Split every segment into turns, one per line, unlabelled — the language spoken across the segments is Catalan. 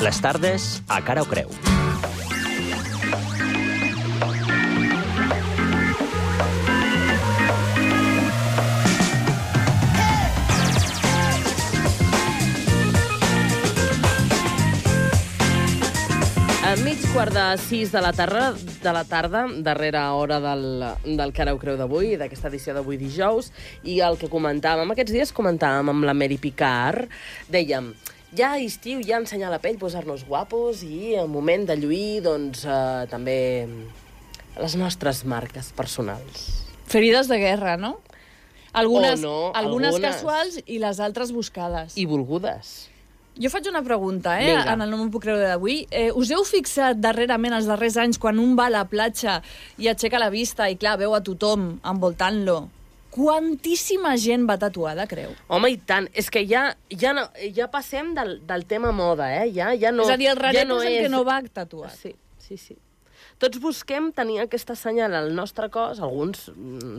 Les tardes a Cara o Creu.
A mig quart de 6 de la tarda, darrera hora del Cara o Creu d'avui, d'aquesta edició d'avui dijous, i el que comentàvem aquests dies, comentàvem amb la Mary Picard, dèiem, ja a estiu, ja ensenyar la pell, posar-nos guapos, i al moment de lluir, doncs, també les nostres marques personals.
Ferides de guerra, no? Algunes casuals i les altres buscades.
I volgudes.
Jo faig una pregunta, en el No M'ho Puc Creure d'avui. Us heu fixat darrerament, els darrers anys, quan un va a la platja i aixeca la vista i, clar, veu a tothom envoltant-lo, quantíssima gent va tatuada, creu?
Home, i tant. És que ja passem del tema moda, Ja no,
és a dir, el raret
ja no
és el que no va tatuat.
Sí. Tots busquem tenir aquesta senyal al nostre cos, alguns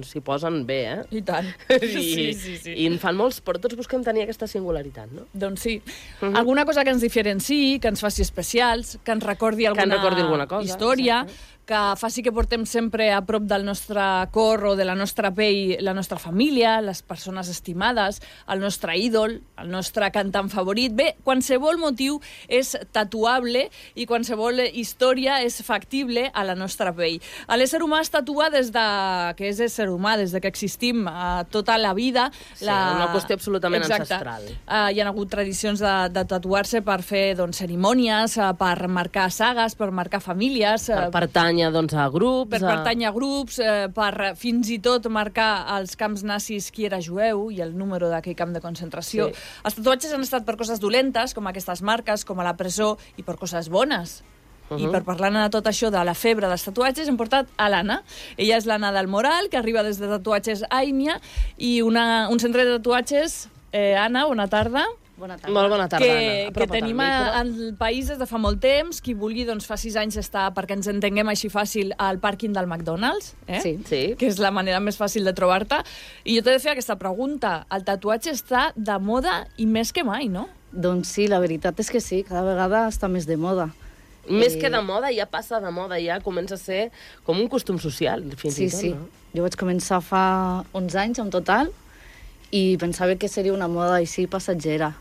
s'hi posen bé,
I tant.
Sí. I en fan molts, però tots busquem tenir aquesta singularitat, no?
Doncs sí. Alguna cosa que ens diferenciï, que ens faci especials, que ens recordi alguna
cosa,
història,
exacte.
Que faci que portem sempre a prop del nostre cor o de la nostra pell la nostra família, les persones estimades, el nostre ídol, el nostre cantant favorit. Bé, qualsevol motiu és tatuable i qualsevol història és factible a la nostra pell. L'ésser humà es tatua des que és ésser humà, des que existim tota la vida.
Sí, una qüestió absolutament ancestral.
Hi ha hagut tradicions de tatuar-se per fer cerimònies, per marcar sagues, per marcar famílies...
Per pertànyer a grups...
Per pertànyer a grups, per fins i tot marcar als camps nazis qui era jueu i el número d'aquell camp de concentració. Sí. Els tatuatges han estat per coses dolentes, com aquestes marques, com a la presó, i per coses bones. I per parlar-ne de tot això, de la febre dels tatuatges, hem portat a l'Anna. Ella és l'Anna del Moral, que arriba des de Tatuatges Aimia, i un centre de tatuatges. Anna, bona tarda.
Bona tarda.
Molt bona tarda, Anna.
Que tenim al país des de fa molt temps. Qui vulgui, doncs fa 6 anys està, perquè ens entenguem així fàcil, al pàrquing del McDonald's,
Sí.
Que és la manera més fàcil de trobar-te. I jo t'he de fer aquesta pregunta. El tatuatge està de moda i més que mai, no?
Doncs sí, la veritat és que sí, cada vegada està més de moda.
Més que de moda, ja passa de moda, ja comença a ser com un costum social, fins i tot,
Sí.
no?
Jo vaig començar fa 11 anys en total i pensava que seria una moda així passatgera,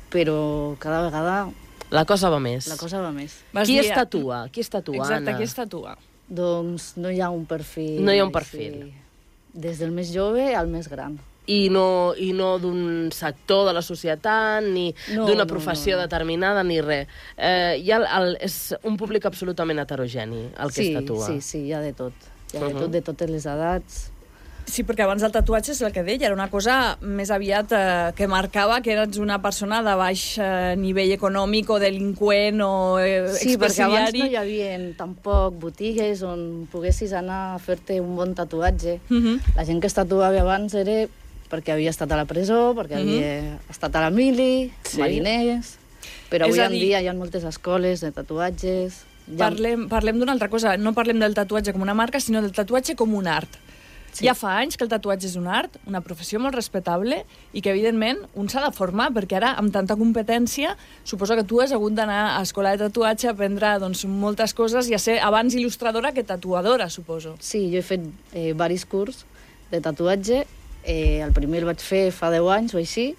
però cada vegada...
La cosa va més.
La cosa va més.
Qui es tatua? Qui es tatua,
Exacte,
Anna?
qui es tatua?
Doncs no hi ha un perfil...
No hi ha un perfil.
Sí. Des del més jove al més gran.
I no d'un sector de la societat, ni d'una professió determinada, ni res. És un públic absolutament heterogeni, el que es tatua.
Sí, hi ha de tot. Hi ha de tot, de totes les edats.
Sí, perquè abans el tatuatge és el que deia, era una cosa més aviat que marcava que eres una persona de baix nivell econòmic o delinqüent o
Sí,
expresidiari.
perquè abans no hi havia tampoc botigues on poguessis anar a fer-te un bon tatuatge. La gent que es tatuava abans era perquè havia estat a la presó, perquè havia estat a la mili, mariners... Però avui en dia hi ha moltes escoles de tatuatges...
Parlem d'una altra cosa, no parlem del tatuatge com una marca, sinó del tatuatge com un art. Sí. Ja fa anys que el tatuatge és un art, una professió molt respectable i que, evidentment, un s'ha de formar, perquè ara, amb tanta competència, suposo que tu has hagut d'anar a escola de tatuatge a aprendre moltes coses i a ser abans il·lustradora que tatuadora, suposo.
Sí, jo he fet diversos cursos de tatuatge. El primer el vaig fer fa 10 anys o així,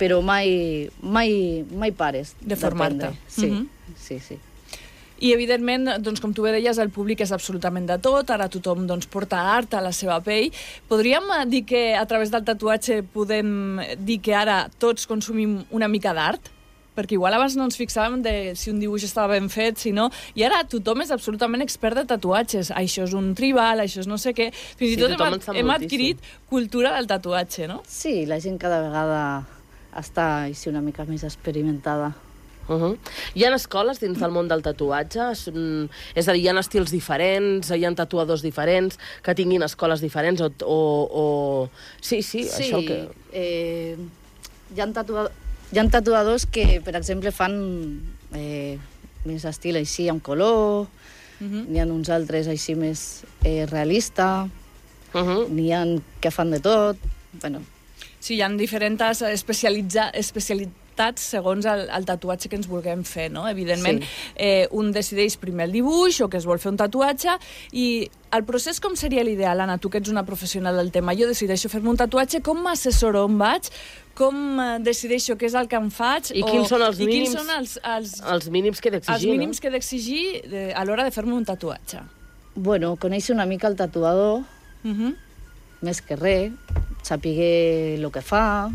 però mai pares
de formar-te.
Sí.
I, evidentment, doncs, com tu bé deies, el públic és absolutament de tot, ara tothom porta art a la seva pell. Podríem dir que a través del tatuatge podem dir que ara tots consumim una mica d'art? Perquè igual abans no ens fixàvem de si un dibuix estava ben fet, si no... I ara tothom és absolutament expert de tatuatges. Això és un tribal, això és no sé què... Fins i tot hem adquirit cultura del tatuatge, no?
Sí, la gent cada vegada està així una mica més experimentada.
Hi ha escoles dins del món del tatuatge? És a dir, hi ha estils diferents, hi ha tatuadors diferents, que tinguin escoles diferents o... Sí, això que...
Hi ha tatuadors que, per exemple, fan més estil així, amb color, n'hi ha uns altres així més realista, n'hi ha que fan de tot, bueno...
Sí, hi ha diferents adaptats segons el tatuatge que ens vulguem fer, no? Evidentment, un decideix primer el dibuix o que es vol fer un tatuatge i el procés com seria l'ideal, Anna? Tu que ets una professional del tema, jo decideixo fer-me un tatuatge, com m'assessoro on vaig, com decideixo què és el que em faig
i quins són els mínims,
els
mínims que he d'exigir,
els mínims que he d'exigir a l'hora de fer-me un tatuatge.
Bueno, conèixer una mica el tatuador, més que res, saber el que fa,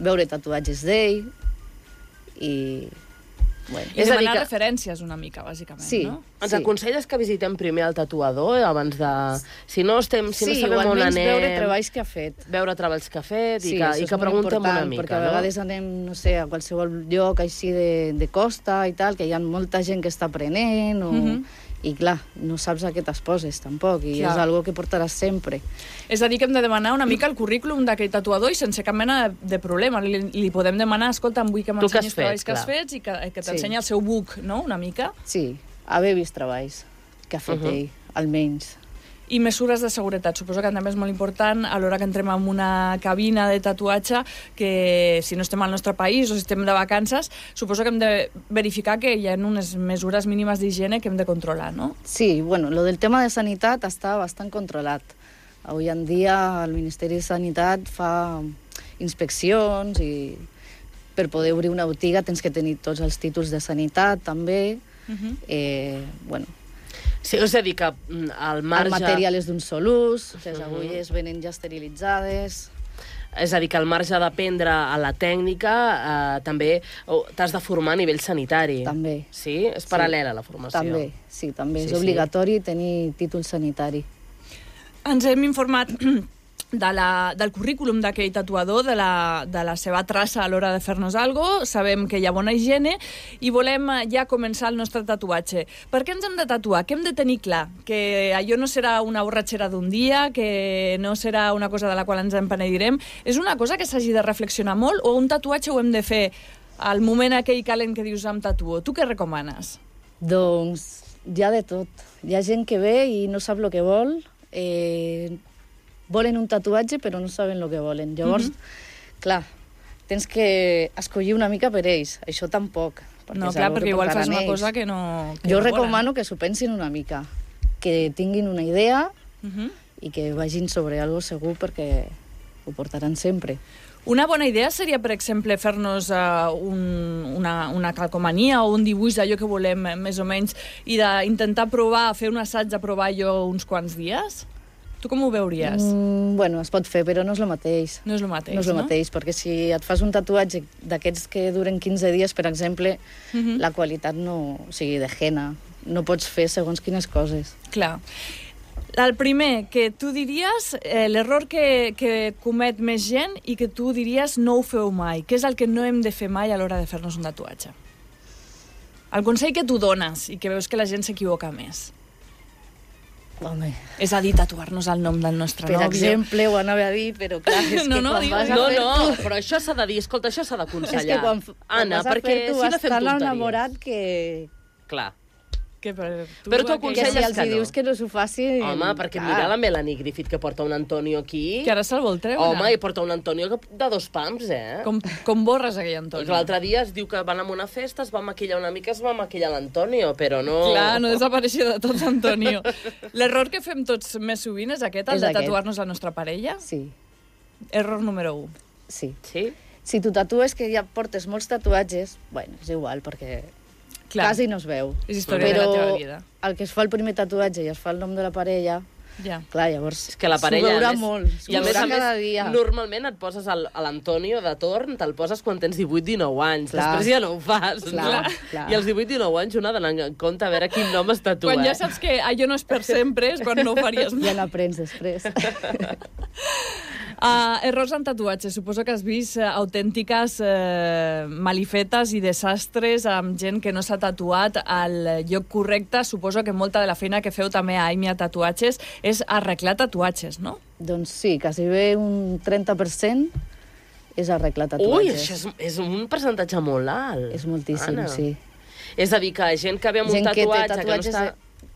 veure tatuatges d'ell i... Bueno.
I demanar referències una mica, bàsicament, no?
Ens aconselles que visitem primer el tatuador abans de... Si no sabem on anem...
veure treballs que ha fet.
Veure treballs que ha fet i que preguntem una mica,
perquè a vegades anem, no sé, a qualsevol lloc així de costa i tal, que hi ha molta gent que està aprenent o... I clar, no saps a què t'exposes tampoc, i és algo que portaràs sempre.
És a dir, que hem de demanar una mica el currículum d'aquell tatuador i sense cap mena de problema. Li podem demanar, escolta, vull que m'ensenyis treballs que has fet i que t'ensenyi el seu book, no?, una mica.
Sí, haver vist treballs que ha fet ell, almenys.
I mesures de seguretat. Suposo que també és molt important a l'hora que entrem en una cabina de tatuatge que si no estem al nostre país o si estem de vacances, suposo que hem de verificar que hi ha unes mesures mínimes d'higiene que hem de controlar, no?
Sí, bueno, lo del tema de sanitat està bastant controlat. Avui en dia el Ministeri de Sanitat fa inspeccions i per poder obrir una botiga tens que tenir tots els títols de sanitat també. Bueno,
sí, és a dir, que al marge...
El material és d'un sol ús, les agulles venen ja esterilitzades...
És a dir, que al marge d'aprendre a la tècnica, també t'has de formar a nivell sanitari.
També.
Sí? És paral·lela la formació.
També, sí, també. És obligatori tenir títol sanitari.
Ens hem informat del currículum d'aquell tatuador, de la seva traça a l'hora de fer-nos alguna cosa, sabem que hi ha bona higiene i volem ja començar el nostre tatuatge. Per què ens hem de tatuar? Què hem de tenir clar? Que allò no serà una borratxera d'un dia, que no serà una cosa de la qual ens empenedirem. És una cosa que s'hagi de reflexionar molt o un tatuatge ho hem de fer al moment aquell calent que dius em tatuo? Tu què recomanes?
Doncs hi ha de tot. Hi ha gent que ve i no sap el que vol, volen un tatuatge però no saben el que volen. Llavors, clar, tens que escollir una mica per ells. Això tampoc.
No, clar, perquè igual fas una cosa que no...
Jo recomano que s'ho pensin una mica, que tinguin una idea i que vagin sobre algo segur perquè ho portaran sempre.
Una bona idea seria, per exemple, fer-nos una calcomania o un dibuix d'allò que volem, més o menys, i d'intentar provar, fer un assaig de provar allò uns quants dies? Tu com ho veuries?
Bueno, es pot fer, però no és el mateix.
No és el mateix,
no? És el mateix, perquè si et fas un tatuatge d'aquests que duren 15 dies, per exemple, la qualitat no... O sigui, de henna. No pots fer segons quines coses.
Clar. El primer, que tu diries, l'error que comet més gent i que tu diries no ho feu mai. Què és el que no hem de fer mai a l'hora de fer-nos un tatuatge? El consell que tu dones i que veus que la gent s'equivoca més.
Home.
És a dir, tatuar-nos el nom del nostre
nòvio. Per exemple, ho anava a dir, però clar, és que quan vas a fer tu...
però això s'ha de dir, escolta, això s'ha d'aconsellar.
És que quan vas a fer tu vas tan enamorat que...
Clar.
Però
tu aconselles
que no. Que si els dius que no s'ho faci...
Home, perquè mira la Melanie Griffith que porta un Antonio aquí...
Que ara se'l vol treure.
Home, i porta un Antonio de 2 pams,
Com borres aquell Antonio?
L'altre dia es diu que van a una festa, es va maquillar una mica, es va maquillar l'Antonio, però no...
Clar, no desapareixia de tot Antonio. L'error que fem tots més sovint és aquest, el de tatuar-nos la nostra parella?
Sí.
Error número 1.
Sí.
Sí?
Si tu tatues que ja portes molts tatuatges, bueno, és igual, perquè... Clar. Quasi no es veu.
És història de la teva vida.
Però el que es fa el primer tatuatge i es fa el nom de la parella, clar, llavors
és que la parella,
s'ho veurà molt.
I a més, cada dia. Normalment et poses a l'Antonio de torn, te'l poses quan tens 18-19 anys. Clar. Després ja no ho fas. Clar. I als 18-19 anys una ha d'anar en compte a veure quin nom es tatua.
Quan ja saps que allò no és per sempre, és quan no ho faries mai.
Ja n'aprens després.
Errors en tatuatges. Suposo que has vist autèntiques malifetes i desastres amb gent que no s'ha tatuat al lloc correcte. Suposo que molta de la feina que feu també a Aimia Tatuatges és arreglar tatuatges, no?
Doncs sí, quasi bé un 30% és arreglar tatuatges.
Ui, això és un percentatge molt alt.
És moltíssim,
Anna.
Sí.
És a dir, que gent que ve amb un tatuatge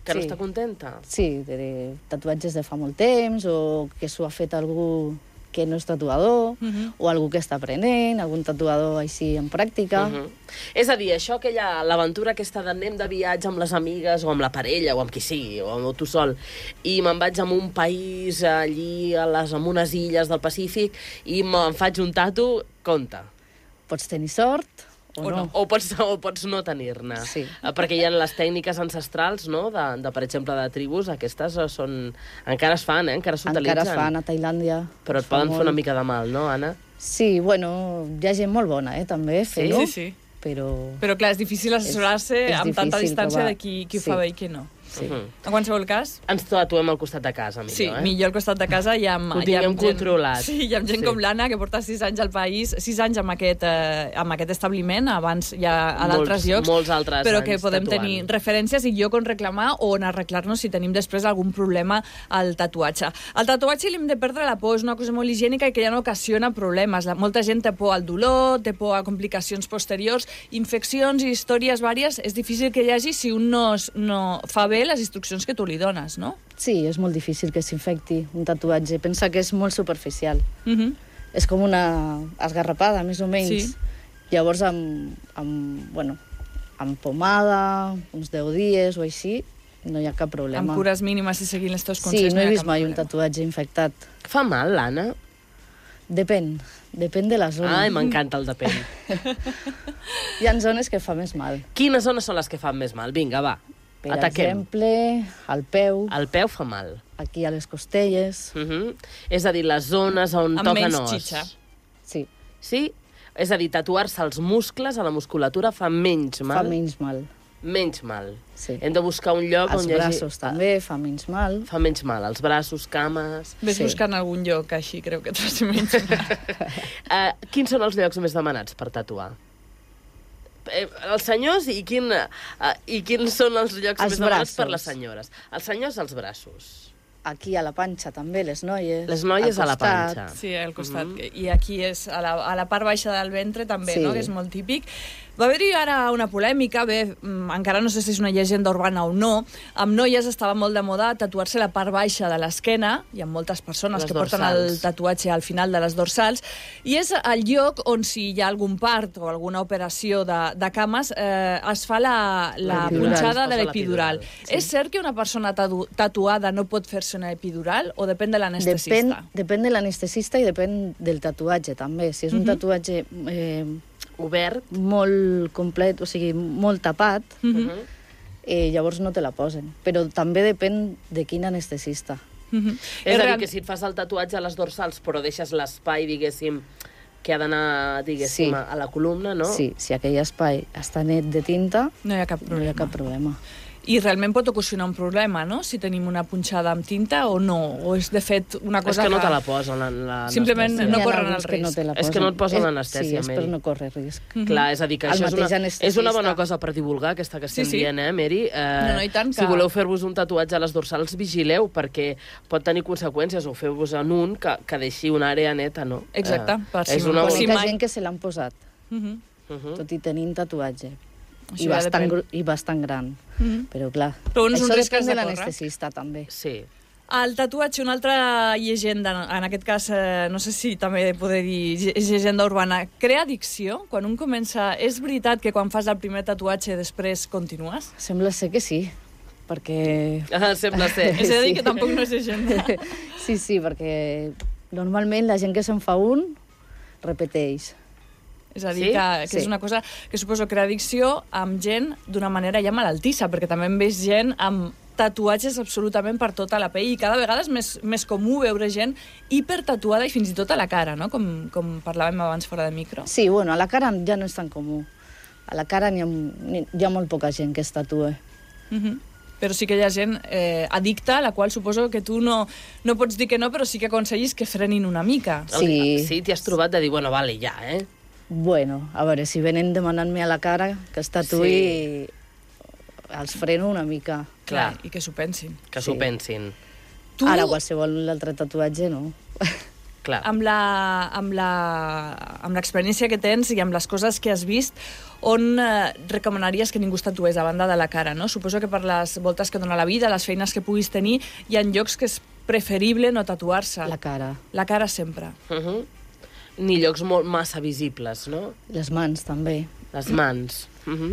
que no està contenta.
Sí, de tatuatges de fa molt temps o que s'ho ha fet algú que no és tatuador, o algú que està aprenent, algun tatuador així en pràctica.
És a dir, això que hi ha, l'aventura aquesta d'anem de viatge amb les amigues, o amb la parella, o amb qui sigui, o amb tu sol, i me'n vaig a un país allí, en unes illes del Pacífic, i me'n faig un tatu, compte.
Pots tenir sort o no.
O pots no tenir-ne.
Sí.
Perquè hi ha les tècniques ancestrals, no?, per exemple, de tribus, aquestes són... Encara es fan, encara s'utilitzen.
Encara es fan a Tailàndia.
Però et poden fer una mica de mal, no, Anna?
Sí, bueno, hi ha gent molt bona, també, fent-ho.
Sí.
Però
clar, és difícil assessorar-se amb tanta distància de qui ho fa bé i qui no.
Sí.
En qualsevol cas...
Ens tatuem al costat de casa, millor,
Sí, millor al costat de casa i amb...
Ho tinguem controlat.
Sí, i amb gent com l'Anna, que porta 6 anys al país, 6 anys amb aquest establiment, abans ja a d'altres llocs,
molts altres
però que
anys
podem
tatuant.
tenir referències i lloc on reclamar o on arreglar-nos si tenim després algun problema al tatuatge. Al tatuatge li hem de perdre la por, és una cosa molt higiènica i que ja no ocasiona problemes. Molta gent té por al dolor, té por a complicacions posteriors, infeccions i històries vàries. És difícil que hi hagi si un no fa bé les instruccions que tu li dones, no?
Sí, és molt difícil que s'infecti un tatuatge. Pensa que és molt superficial. És com una esgarrapada, més o menys.
Sí.
Llavors, amb pomada, uns 10 dies o així, no hi ha cap problema.
Amb cures mínimes i seguint els teus consells.
Sí, no he vist mai un tatuatge infectat.
Fa mal, l'Anna?
Depèn de la zona.
Ai, m'encanta el depèn.
Hi ha zones que fa més mal.
Quines zones són les que fan més mal? Vinga, va.
Per
Ataquem.
exemple, al peu,
El peu fa mal.
aquí a les costelles.
És a dir, les zones on
Amb
toquen
menys
os.
xitxa.
Sí,
Sí? És a dir, tatuar-se els muscles a la musculatura fa menys mal.
fa menys mal.
Menys mal.
Sí.
Hem de buscar un lloc
Els
on hi hagi...
braços també fa menys mal.
Fa menys mal. Els braços, cames...
Ves
Sí.
buscant algun lloc així, crec que et faci menys mal.
Quins són els llocs més demanats per tatuar? Els senyors i quins són els llocs
Els
més demanats per
braços.
les senyores? Els senyors, els braços.
Aquí a la panxa també, les noies.
Les noies
al
a la
costat.
panxa.
Sí, al costat. I aquí és a la part baixa del ventre també,
Sí.
no?, que és molt típic. Va haver-hi ara una polèmica, encara no sé si és una llegenda urbana o no, amb noies estava molt de moda tatuar-se la part baixa de l'esquena, hi ha moltes persones
Les
que porten
dorsals.
el tatuatge al final de les dorsals, i és el lloc on si hi ha algun part o alguna operació de cames es fa la
L'epidural.
punxada
Es
de
posa
l'epidural.
l'epidural,
És cert que una persona tatuada no pot fer-se una epidural o depèn de l'anestesista?
Depèn de l'anestesista i depèn del tatuatge, també. Si és un tatuatge
Obert.
molt complet, o sigui, molt tapat, llavors no te la posen. Però també depèn de quin anestesista.
És a dir, que si et fas el tatuatge a les dorsals però deixes l'espai, diguéssim, que ha d'anar, diguéssim,
Sí.
a la columna, no?
Sí, si aquell espai està net de tinta,
No hi ha cap
no
problema.
hi ha cap problema.
I realment pot ocasionar un problema, no?, si tenim una punxada amb tinta o no, o és de fet una
És
cosa
que no te la posen, l'anestèsia.
Simplement no
N'hi ha
corren
alguns
el
que no
risc.
te la
És que no et posen
És-
l'anestèsia,
Sí, és per
Mary.
no córrer risc.
Clar, és a dir, que
El
això
mateix
és una
anestesista.
bona cosa per divulgar, aquesta que estem
Sí, sí.
dient, Mary?
No, i tant
Si
que-
voleu fer-vos un tatuatge a les dorsals, vigileu, perquè pot tenir conseqüències, o feu-vos en un que deixi una àrea neta, no?
Exacte, per si
és
no
una...
pot-
Conec
mai-
gent que se l'han posat, tot i tenint tatuatge.
Això
I
ja
bastant,
depèn.
I bastant gran. Però clar,
Però un és un
això
risc que
depèn
has
de
de córrer.
l'anestesista, també.
Sí.
El tatuatge, una altra llegenda, en aquest cas, no sé si també poder dir és llegenda urbana, crea addicció? Quan un comença... És veritat que quan fas el primer tatuatge després continues?
Sembla ser que sí, perquè...
Sembla ser.
És a dir, que tampoc no és llegenda.
Sí, perquè normalment la gent que se'n fa un repeteix.
És a dir,
Sí?
que
Sí.
és una cosa que suposo crea addicció amb gent d'una manera ja malaltissa, perquè també hem vist gent amb tatuatges absolutament per tota la pell i cada vegada és més comú veure gent hipertatuada i fins i tot a la cara, no?, com parlàvem abans fora de micro.
Sí, bueno, a la cara ja no és tan comú. A la cara hi ha molt poca gent que es tatua.
Però sí que hi ha gent addicta, a la qual suposo que tu no pots dir que no, però sí que aconseguis que frenin una mica.
Sí.
Sí, t'hi has trobat de dir, bueno, vale, ja,
Bueno, a veure, si venen demanant-me a la cara que es tatuï, els freno una mica.
Clar.
I que s'ho pensin.
que s'ho
Sí.
pensin.
Tu...
Ara, qualsevol altre tatuatge, no.
Clar.
amb l'experiència que tens i amb les coses que has vist, on recomanaries que ningú es tatués a banda de la cara, no? Suposo que per les voltes que dona la vida, les feines que puguis tenir, hi ha llocs que és preferible no tatuar-se.
La cara.
La cara sempre.
Ni llocs molt massa visibles, no?
Les mans, també.
Les mans.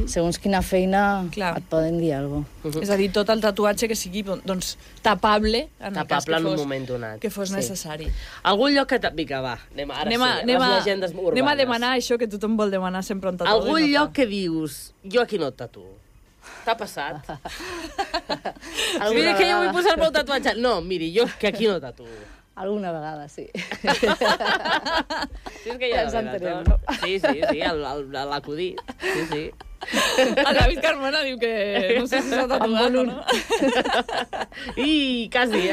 Segons quina feina
Clar.
et poden dir alguna cosa.
És a dir, tot el tatuatge que sigui doncs, tapable en el cas
Tapable en un moment donat.
que fos necessari.
Algun lloc que... Vinga, va, anem
Anem
les llegendes urbanes.
anem a demanar això que tothom vol demanar sempre un tatuatge.
Algun lloc que dius, jo aquí no et tatuo. T'ha passat? Mira que jo vull posar-me un tatuatge. No, miri, jo que aquí no tatuo.
Alguna vegada, sí.
Sí, és que ja
Ens entenem,
no? Sí, l'acudit. Sí.
El David Carmona diu que no sé si s'ha tatuat o no.
I quasi,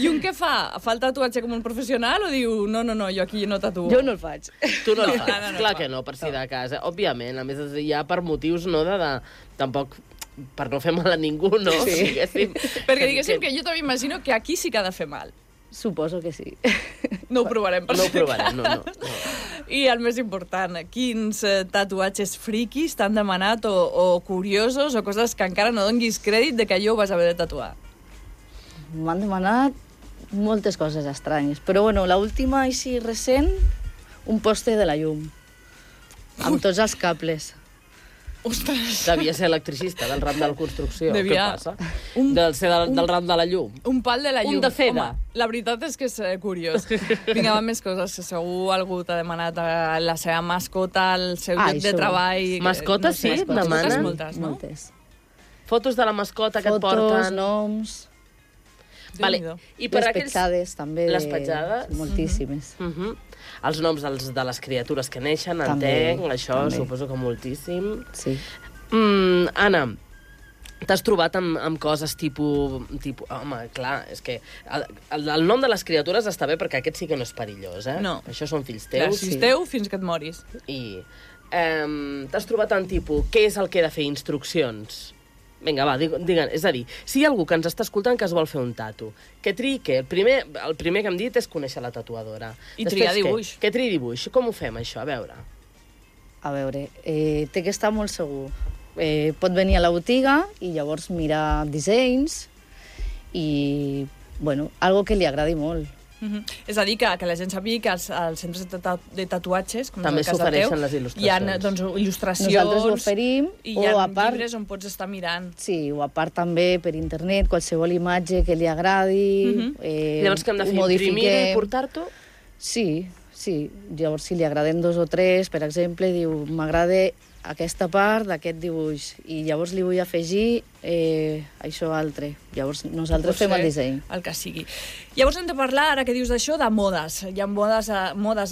I un que fa el tatuatge com un professional o diu no, jo aquí no tatuo?
Jo no el faig.
Tu no el fas.
No,
Clar que no, per si de casa. Òbviament, a més, ja per motius no de tampoc per no fer mal a ningú, no?
Sí.
Perquè diguéssim que jo també imagino que aquí sí que ha de fer mal.
Suposo que sí.
No ho provarem, per
No ho
si
provarem, no.
I el més important, quins tatuatges friquis t'han demanat o curiosos o coses que encara no donguis crèdit de que allò ho vas haver de tatuar?
M'han demanat moltes coses estranyes, però bueno, l'última, així recent, un poste de la llum, amb tots els cables.
Ostres!
Devia ser electricista del ram de la construcció.
Devia.
Què passa? Del ram de la llum.
Un pal de la llum.
Un de seda.
Home, la veritat és que és curiós. Vinga, va més coses. Segur algú t'ha demanat la seva mascota, el seu lloc de treball...
Mascotes, sí?
Mascotes
Demanen?
moltes, no?
Moltes.
Fotos de la mascota que et
Fotos,
porten.
noms,
Vale.
Déu-n'hi-do.
I per
les
aquells...
petjades també.
Les petjades?
Moltíssimes.
Els noms de les criatures que neixen,
També,
entenc, això
també.
suposo que moltíssim.
Sí.
Anna, t'has trobat amb coses tipus... Home, clar, és que el nom de les criatures està bé perquè aquest sí que no és perillós, eh?
No.
Això són fills
Clar,
teus.
si és teu, fins que et moris.
I t'has trobat en tipus, què és el que he de fer? Instruccions? Vinga, va, digue'm. És a dir, si hi ha algú que ens està escoltant que es vol fer un tatu, que triï què? El primer que hem dit és conèixer la tatuadora.
I triar dibuix.
Que triï dibuix. Com ho fem, això? A veure.
A veure, té que estar molt segur. Pot venir a la botiga i llavors mirar dissenys i, bueno, algo que li agradi molt.
És a dir, que la gent sàpiga que als centres de tatuatges, com
també
és el cas del teu,
s'ofereixen les il·lustracions.
hi ha doncs, il·lustracions...
Nosaltres ho oferim,
i hi ha
o a part...
llibres on pots estar mirant.
Sí, o a part també per internet, qualsevol imatge que li agradi...
Llavors què hem de fer? Imprimir-ho i portar-t'ho?
Sí. Llavors, si li agraden 2 o 3, per exemple, diu, m'agrada aquesta part d'aquest dibuix i llavors li vull afegir això altre. Llavors nosaltres fem el disseny.
El que sigui. Llavors hem de parlar, ara que dius d'això, de modes. Hi ha modes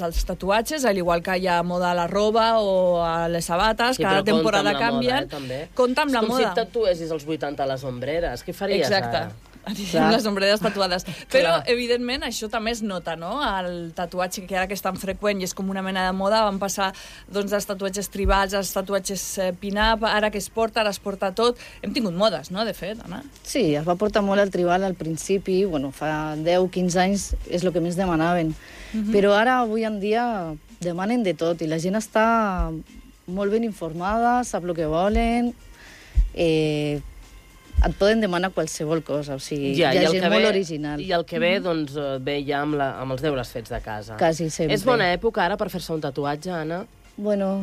als tatuatges, al igual que hi ha moda a la roba o a les sabates,
Sí,
cada
però
temporada
compta amb la
canvien.
moda, també.
Compta amb la
És com
moda.
si et tatuessis als 80 a les ombreres. Què faries
Exacte.
ara?
Amb les ombreres tatuades. Però, evidentment, això també es nota, no? El tatuatge, que ara que és tan freqüent i és com una mena de moda, van passar doncs, dels tatuatges tribals als tatuatges pin-up, ara que es porta, ara es porta tot. Hem tingut modes, no?, de fet, Anna?
Sí, es va portar molt el tribal al principi, bueno, fa 10-15 anys és el que més demanaven. Però ara, avui en dia, demanen de tot i la gent està molt ben informada, sap el que volen, et poden demanar qualsevol cosa, o sigui, hi ha gent molt original.
I el que ve, doncs, ve ja amb els deures fets de casa.
Quasi sempre.
És bona època ara per fer-se un tatuatge, Anna?
Bueno,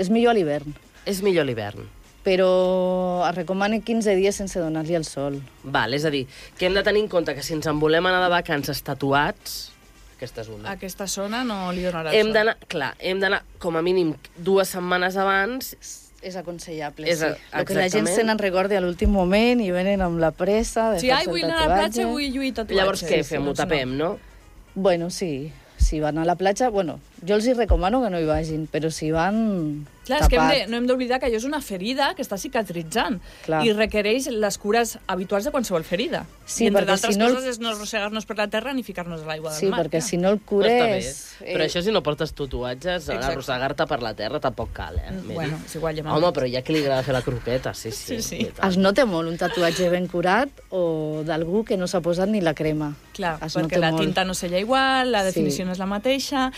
és millor a l'hivern,
És millor l'hivern.
però es recomana 15 dies sense donar-li el sol.
Val, és a dir, que hem de tenir en compte que si ens en volem anar de vacances tatuats, aquesta és una.
Aquesta zona no li donarà el
Hem
sol.
d'anar, clar, com a mínim 2 setmanes abans.
És aconsellable,
És
sí. El que la gent
exactament.
se n'en recorda a l'últim moment i venen amb la pressa de
Sí,
fer-se el
vull anar a la platja,
tatuatge.
vull lluir tatuatge.
Llavors què fem? Ho
Doncs
tapem, no?
Bueno, sí. Si van a la platja, bueno, Jo els hi recomano que no hi vagin, però si van
Clar, és que
tapat...
no hem d'oblidar que allò és una ferida que està cicatritzant
Clar.
i requereix les cures habituals de qualsevol ferida.
Sí,
I entre
perquè
d'altres
si no
coses és no arrossegar-nos per la terra ni ficar-nos a l'aigua
Sí,
del mar.
perquè
clar.
si no el
Però està bé.
cures...
Però això si no portes tatuatges,
Exacte.
arrossegar-te per la terra tampoc cal, Mary?
Bueno, és igual, ja
Home, però hi ha qui li agrada fer la croqueta, sí.
Sí.
i tant.
Es nota molt un tatuatge ben curat o d'algú que no s'ha posat ni la crema.
Clar,
Es
perquè
nota
la
molt.
tinta no sella igual, la
Sí.
definició no és la mateixa.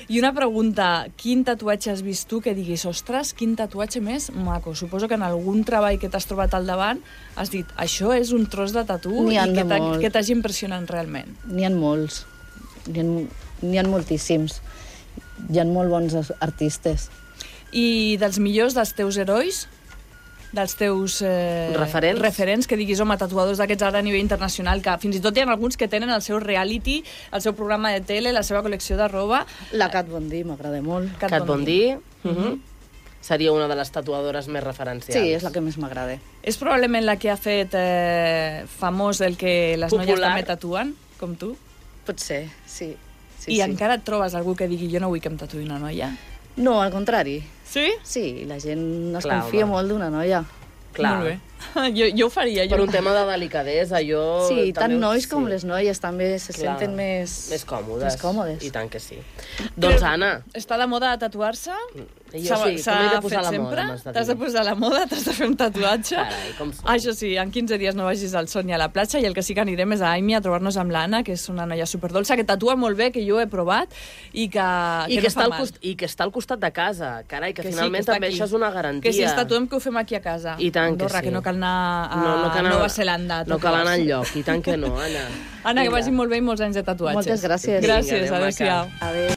I una pregunta, quin tatuatge has vist tu que diguis, ostres, quin tatuatge més maco? Suposo que en algun treball que t'has trobat al davant has dit, això és un tros de tatu
N'hi
i
ha de
que
molt.
que t'hagi impressionat realment.
N'hi ha molts. N'hi ha moltíssims. Hi ha molt bons artistes.
I dels millors dels teus herois? Dels teus referents, que diguis, home, tatuadors d'aquests ara a nivell internacional, que fins i tot hi ha alguns que tenen el seu reality, el seu programa de tele, la seva col·lecció de roba.
La Kat Von D m'agrada molt.
Kat Von D seria una de les tatuadores més referencials.
Sí, és la que més m'agrada.
És probablement la que ha fet famós el que les noies
Popular.
també tatuen, com tu?
Potser, sí.
I encara et trobes algú que digui, jo no vull que em tatuï una noia?
No, al contrari.
Sí?
Sí, la gent es
Clar,
confia
home.
molt d'una noia.
Clar.
Molt bé. Jo ho faria.
Per un tema de delicadesa, jo...
Sí, tant
també
nois com les noies també se
Clar.
senten més...
Més còmodes.
Més còmodes.
I tant que sí. Doncs, Anna,
Està de moda tatuar-se?
jo sí, com m'he de posar la moda, m'has de dir.
T'has de posar la moda, t'has de fer un tatuatge.
Carai, com som.
Això sí, en 15 dies no vagis al Son ni a la platja, i el que sí que anirem és a Aimi a trobar-nos amb l'Anna, que és una noia superdolça, que tatua molt bé, que jo he provat, i que no
està
fa mal.
I que està al costat de casa. Carai, que
Que sí,
finalment
que està
també
aquí.
això és una garantia.
Que si ens tatuem, que ho fem aquí a casa.
I tant que
Andorra,
sí.
que no cal anar a Nova Zelanda. a
No cal anar
tatuar-se.
enlloc, i tant que no, Anna.
Anna, que
Vinga.
vagi molt bé i molts anys de tatuatges.
Moltes gràcies.
Vinga,
Gràcies,
adéu, maca.
adéu-siau.
Adéu.